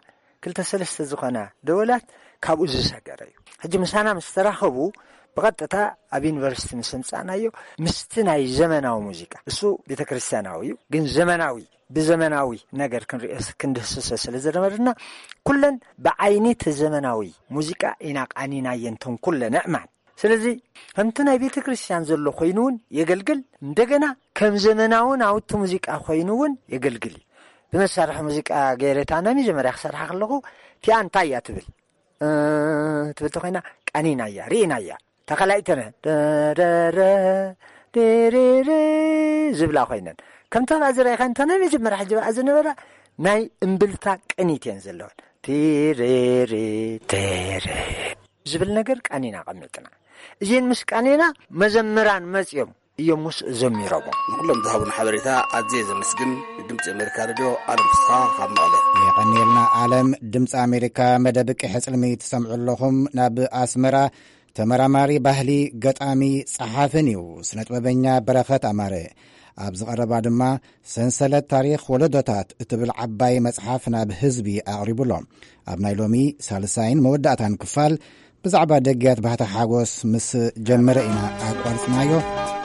ክልተ ሰለስተ ዝኾና ደወላት ካብኡ ዝሰገረ እዩ። ሕጂ ምሳና ምስ ተራኸቡ ብቐጥታ ኣብ ዩኒቨርሲቲ ምስ ኣምጻእናዮ ምስቲ ናይ ዘመናዊ ሙዚቃ እሱ ቤተ ክርስቲያናዊ እዩ ግን ዘመናዊ ብዘመናዊ ነገር ክንርእዮ ክንድህስሶ ስለ ዝነበርና ኩለን ብዓይኒ እቲ ዘመናዊ ሙዚቃ ኢና ቃኒናየን እተን ኩለን ኣእማን። ስለዚ ከምቲ ናይ ቤተ ክርስቲያን ዘሎ ኮይኑ እውን የገልግል እንደገና ከም ዘመናዊ ናውቲ ሙዚቃ ኮይኑ እውን የገልግል እዩ። ብመሳርሒ ሙዚቃ ገይረ እታ ናይ መጀመርያ ክሰርሓ ከለኹ እቲኣ እንታይ እያ ትብል እ፣ ትብል ተኮይና ቀኒናያ ርኢናያ ተኸላይተነ ደረረ ደረረ ዝብላ ኮይነን ከምታ ብኣ ዝረኣኻ እንተ ናይ መጀመርያ ሕጂ ብኣ ዝነበራ ናይ እምብልታ ቅኒት እየን ዘለወን ቲሬሬ ቴሬ ዝብል ነገር ቃኒና ቀሚጥና እዚን ምስ ቃኒና መዘምራን መፅዮም እዮም ምስ ዘሚሮሞ ንኩሎም ዝሃቡን ሓበሬታ ኣዝየ ዘመስግን ንድምፂ ኣሜሪካ ሬድዮ ኣለም ፍስሓ ካብ መቐለ የቐንየልና ኣለም ድምፂ ኣሜሪካ መደብ ቅሐ ፅልሚ ትሰምዑ ኣለኹም ናብ ኣስመራ ተመራማሪ ባህሊ ገጣሚ ፀሓፍን እዩ ስነጥበበኛ በረኸት ኣማረ ኣብ ዝቐረባ ድማ ሰንሰለት ታሪኽ ወለዶታት እትብል ዓባይ መፅሓፍ ናብ ህዝቢ ኣቕሪቡ ኣሎ ኣብ ናይ ሎሚ ሳልሳይን መወዳእታን ክፋል ብዛዕባ ደግያት ባህታ ሓጎስ ምስ ጀመረ ኢና ኣቋርፅናዮ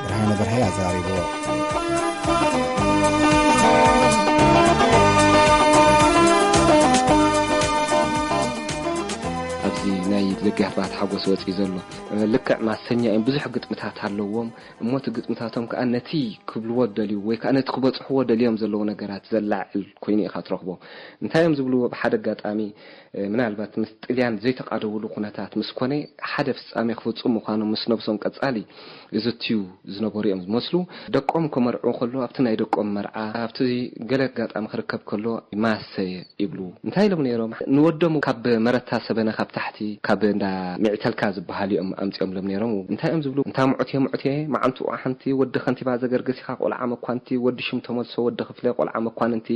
ብርሃነ በርሀይ ኣዘራሪብዎ ኣብዚ ናይ ደቂ ያህባት ሓጎስ ወፂኡ ዘሎ ልክዕ ማሰኛ እዮም። ብዙሕ ግጥምታት ኣለዎም እሞ እቲ ግጥምታቶም ከዓ ነቲ ክብልዎ ደልዩ ወይ ከዓ ነቲ ክበፅሕዎ ደልዮም ዘለዉ ነገራት ዘላዕል ኮይኑ ኢኻ ትረኽቦ። እንታይ እዮም ዝብልዎ? ብሓደ ኣጋጣሚ ምናልባት ምስ ጥልያን ዘይተቃደውሉ ኩነታት ምስ ኮነ ሓደ ፍጻሜ ክፍጹም ምዃኑ ምስ ነብሶም ቀጻሊ ዝትዩ ዝነበሩ እዮም ዝመስሉ። ደቆም ከመርዑ ከሎ ኣብቲ ናይ ደቆም መርዓ ኣብቲ ገለ ኣጋጣሚ ክርከብ ከሎ ማሰየ ይብሉ። እንታይ ኢሎም ነይሮም? ንወዶም ካብ መረታ ሰበነ ካብ ታሕቲ ካብ እንዳ ሚዕተልካ ዝበሃል እዮም ኣምጺኦምሎም ነይሮም። እንታይ እዮም ዝብሉ? እንታ ሙዑት እየ ሙዑት እየ፣ መዓንቱ ሓንቲ ወዲ ከንቲባ ዘገርግስ ኢኻ፣ ቆልዓ መኳንቲ፣ ወዲ ሽም ተመልሶ፣ ወዲ ክፍለ፣ ቆልዓ መኳንንቲ፣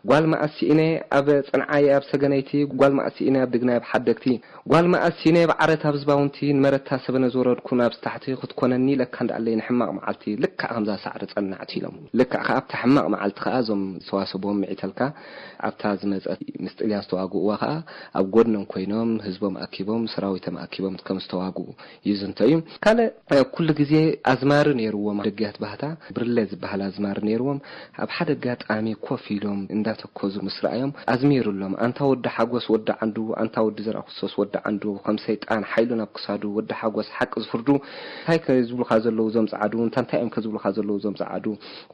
ጓል መኣስ ስኢነ ኣብ ጽንዓይ ኣብ ሰገነይቲ፣ ጓል መኣስ ስኢነ ኣብ ድግናይ ኣብ ሓደግቲ፣ ጓል መኣስ ስኢነ ኣብ ዓረት ኣብ ዝባውንቲ፣ ንመረታ ሰበነ ዝወረድኩ ናብዚ ታሕቲ ክትኮነኒ ኢለካ እንዳኣለይ ንሕማቕ መዓልቲ ልክዕ ከምዛ ሳዕሪ ጸናዕቲ ኢሎም። ልክዕ ከኣ ኣብታ ሕማቕ መዓልቲ ከኣ እዞም ዝተዋሰብዎም ምዒተልካ ኣብታ ዝመጸት ምስ ጥልያን ዝተዋግእዋ ከኣ ኣብ ጎድኖም ኮይኖም ህዝቦም ኣኪቦም ሰራዊቶም ኣኪቦም ከም ዝተዋግኡ ይዝንቶ እዩ። ካልእ ኩሉ ግዜ ኣዝማሪ ነይርዎም ደጊያት ባህታ ብርለ ዝበሃል ኣዝማሪ ነይርዎም። ኣብ ሓደ ኣጋጣሚ ኮፍ ኢሎም እንዳተኮዙ ምስ ረኣዮም ኣዝሚሩሎም፣ ኣንታ ወዲ ሓጎስ ወዲ ዓንዱ፣ ኣንታ ወዲ ዘርኣክርስቶስ ወዲ ዓንዱ፣ ከም ሰይጣን ሓይሉ ናብ ክሳዱ፣ ወዲ ሓጎስ ሓቂ ዝፍርዱ እንታይ ከ ዝብሉኻ ዘለዉ እዞም ጸዓዱ፣ እንታ እንታይ እዮም ከ ዝብሉኻ ዘለዉ እዞም ጸዓዱ፣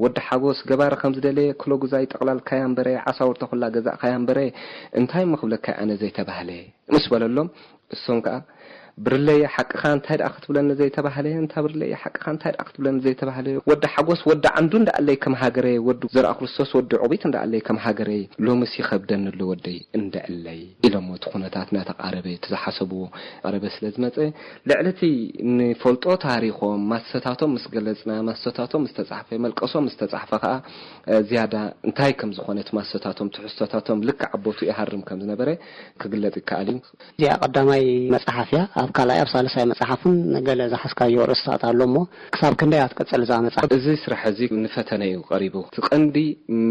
ወዲ ሓጎስ ገባሪ ከም ዝደለየ ክሎ ግዛይ ጠቕላልካያ እምበረ፣ ዓሳውርታ ኩላ ገዛእካያ እምበረ፣ እንታይ እሞ ክብለካ ኣነ ዘይተባህለ ምስ በለሎም፣ እሶም ከኣ ብርለየ ሓቅኻ እንታይ ደኣ ክትብለኒ ዘይተባህለ፣ እንታ ብርለየ ሓቅኻ እንታይ ደኣ ክትብለኒ ዘይተባህለ፣ ወዲ ሓጎስ ወዲ ዓንዱ እንዳኣለይ ከም ሃገረ፣ ወዲ ዘርኣ ክርስቶስ ወዲ ዑቢት እንዳኣለይ ከም ሃገረ፣ ሎምስ ይኸብደኒ ኣሎ ወደይ እንደዕለይ ኢሎሞ። እቲ ኩነታት እናተቓረበ እቲ ዝሓሰብዎ ቀረበ ስለ ዝመጸ፣ ልዕሊ እቲ ንፈልጦ ታሪኾም ማሰታቶም ምስ ገለጽና፣ ማሰታቶም ምስ ተጻሕፈ፣ መልቀሶም ምስ ተጻሕፈ ከኣ ዝያዳ እንታይ ከም ዝኾነ እቲ ማሰታቶም ትሕዝቶታቶም ልክዕ ኣቦቱ ይሃርም ከም ዝነበረ ክግለጽ ይከኣል እዩ። እዚኣ ቀዳማይ መጽሓፍ እያ። ኣብ ካልኣይ ኣብ ሳልሳይ መጽሓፍን ገለ ዝሓዝካዮ ርእስታት ኣሎ እሞ ክሳብ ክንደይ እያ ትቅጽል እዛ መጽሓፍ? እዚ ስራሕ እዚ ንፈተነ እዩ ቀሪቡ። እቲ ቀንዲ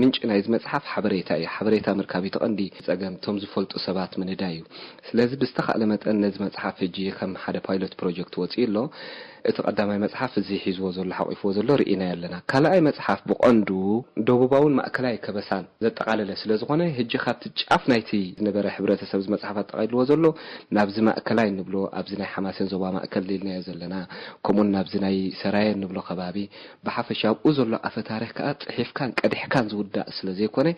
ምንጪ ናይዚ መጽሓፍ ሓበሬታ እዩ። ሓበሬታ ምርካብ እዩ እቲ ቀንዲ ጸገም። እቶም ዝፈልጡ ሰባት ምንዳይ እዩ። ስለዚ ብዝተኻእለ መጠን ነዚ መጽሓፍ ሕጂ ከም ሓደ ፓይሎት ፕሮጀክት ወጺኡ ኣሎ። እቲ ቀዳማይ መጽሓፍ እዚ ሒዝዎ ዘሎ ሓቂፍዎ ዘሎ ርኢናዮ ኣለና። ካልኣይ መጽሓፍ ብቐንዱ ደቡባውን ማእከላይ ከበሳን ዘጠቓለለ ስለ ዝኾነ፣ ሕጂ ካብቲ ጫፍ ናይቲ ዝነበረ ሕብረተሰብ እዚ መጽሓፍ ኣጠቓሊልዎ ዘሎ ናብዚ ማእከላይ እንብሎ፣ ኣብዚ ናይ ሓማሴን ዞባ ማእከል ኢልናዮ ዘለና፣ ከምኡውን ናብዚ ናይ ሰራየ እንብሎ ከባቢ፣ ብሓፈሻ ኣብኡ ዘሎ ኣፈ ታሪኽ ከኣ ጽሒፍካን ቀዲሕካን ዝውዳእ ስለ ዘይኮነ፣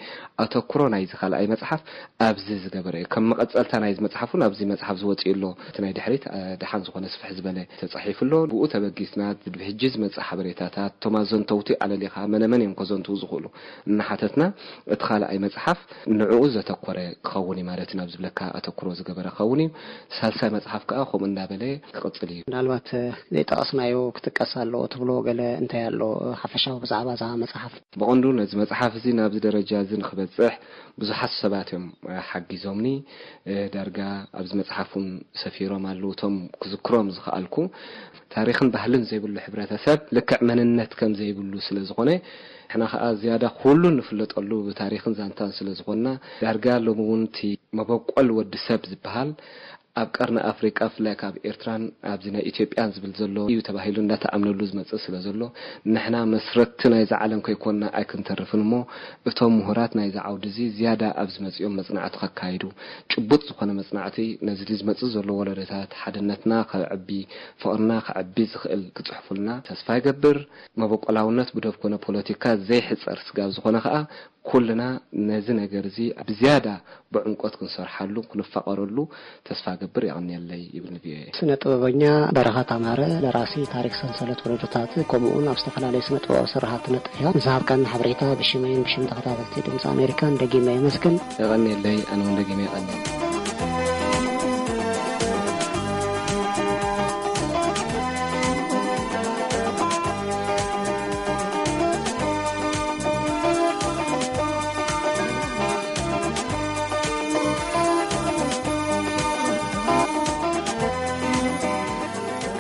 ኣተኩሮ ናይዚ ካልኣይ መጽሓፍ ኣብዚ ዝገበረ እዩ። ከም መቐጸልታ ናይዚ መጽሓፍ እውን ኣብዚ መጽሓፍ ዝወጽእ ኣሎ። እቲ ናይ ድሕሪት፣ እ፣ ደሓን ዝኾነ ስፍሕ ዝበለ ተጻሒፉ ኣሎ። ብኡ ተበጊስና፣ ሕጂ ዝመጽእ ሓበሬታታት፣ እቶም ኣዘንተውቲ ኣለሊኻ፣ መነመን እዮም ከዘንትዉ ዝኽእሉ እናሓተትና፣ እቲ ካልኣይ መጽሓፍ ንዕኡ ዘተኮረ ክኸውን እዩ ማለት እዩ። ናብ ዝብለካ ኣተኩሮ ዝገበረ ክኸውን እዩ። ሳልሳይ መጽሓፍ ከኣ ከምኡ እናበለ ክቕጽል እዩ። ምናልባት፣ እ፣ ዘይጠቐስናዮ ክጥቀስ ኣለዎ ትብሎ ገለ እንታይ ኣሎ፣ እ፣ ሓፈሻዊ ብዛዕባ እዛ መጽሓፍ? ብቐንዱ ነዚ መጽሓፍ እዚ ናብዚ ደረጃ እዚ ንኽበጽሕ ብዙሓት ሰባት እዮም፣ እ፣ ሓጊዞምኒ። እ፣ ዳርጋ ኣብዚ መጽሓፍ እውን ሰፊሮም ኣለዉ። እቶም ክዝክሮም ዝኸኣልኩ፣ ታሪኽን ባህልን ዘይብሉ ሕብረተሰብ ልክዕ መንነት ከም ዘይብሉ ስለ ዝኾነ፣ ንሕና ኸኣ ዝያዳ ኩሉ ንፍለጠሉ ብታሪኽን ዛንታን ስለ ዝኾንና፣ ዳርጋ ሎሚ እውን እቲ መበቆል ወዲ ሰብ ዝበሃል ኣብ ቀርኒ ኣፍሪቃ፣ ብፍላይ ካብ ኤርትራን ኣብዚ ናይ ኢትዮጵያን ዝብል ዘሎ እዩ ተባሂሉ እንዳተኣምነሉ ዝመጽእ ስለ ዘሎ፣ ንሕና መስረትቲ ናይዛ ዓለም ከይኮንና ኣይክንተርፍን እሞ፣ እቶም ምሁራት ናይዚ ዓውዲ እዚ ዝያዳ ኣብዚ መጺኦም መጽናዕቲ ከካይዱ፣ ጭቡጥ ዝኾነ መጽናዕቲ ነዚ ዝመጽእ ዘሎ ወለዶታት ሓድነትና ከዕቢ፣ ፍቕርና ከዕቢ ዝኽእል ክጽሕፉልና ተስፋ ይገብር። መበቆላውነት ብዶብ ኮነ ፖለቲካ ዘይሕጸር ስጋብ ዝኾነ ከኣ፣ ኩልና ነዚ ነገር እዚ ብዝያዳ ብዕምቆት ክንሰርሓሉ፣ ክንፋቐረሉ ተስፋ ገብር። የቐንየለይ ይብል ንቪኦኤ። ስነ ጥበበኛ በረኸት ኣማረ፣ ደራሲ ታሪክ ሰንሰለት ወለዶታት፣ ከምኡውን ኣብ ዝተፈላለዩ ስነ ጥበባዊ ስራሓት ትነጥፍ ኢኻ። ንዝሃብካኒ ሓበሬታ ብሽመይን ብሽም ተኸታተልቲ ድምፂ ኣሜሪካን ደጊመ የመስግን። የቐንየለይ፣ ኣነ እውን ደጊመ የቐንየለይ።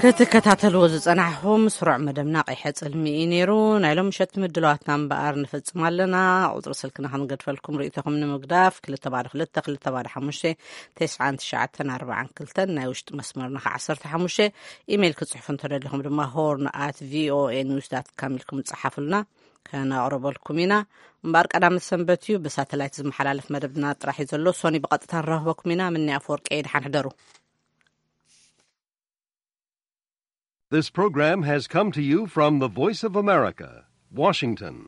ክትከታተልዎ ዝጸናሕኹም ስሩዕ መደብና ቀይሐ ጽልሚ እዩ ነይሩ። ናይ ሎም ምሸት ምድለዋትና እምበኣር ንፍጽም ኣለና። ቁጽሪ ስልክና ክንገድፈልኩም ርእይቶኹም ንምግዳፍ ክልተ ባዶ ክልተ ክልተ ባዶ ሓሙሽተ ተስዓን ትሽዓተን ኣርባዓን ክልተን፣ ናይ ውሽጢ መስመርና ከኣ ዓሰርተ ሓሙሽተ። ኢሜይል ክጽሕፉ እንተደሊኹም ድማ ሆርን ኣት ቪኦኤ ኒውስ ዳት ካም ኢልኩም ጸሓፉልና፣ ከነቕርበልኩም ኢና። እምበኣር ቀዳመ ሰንበት እዩ፣ ብሳተላይት ዝመሓላለፍ መደብና ጥራሕ እዩ ዘሎ። ሶኒ ብቐጥታ ንራኽበኩም ኢና። ምኒ ኣፈወርቂ፣ ደሓን ሕደሩ። This program has come to you from the Voice of America, Washington.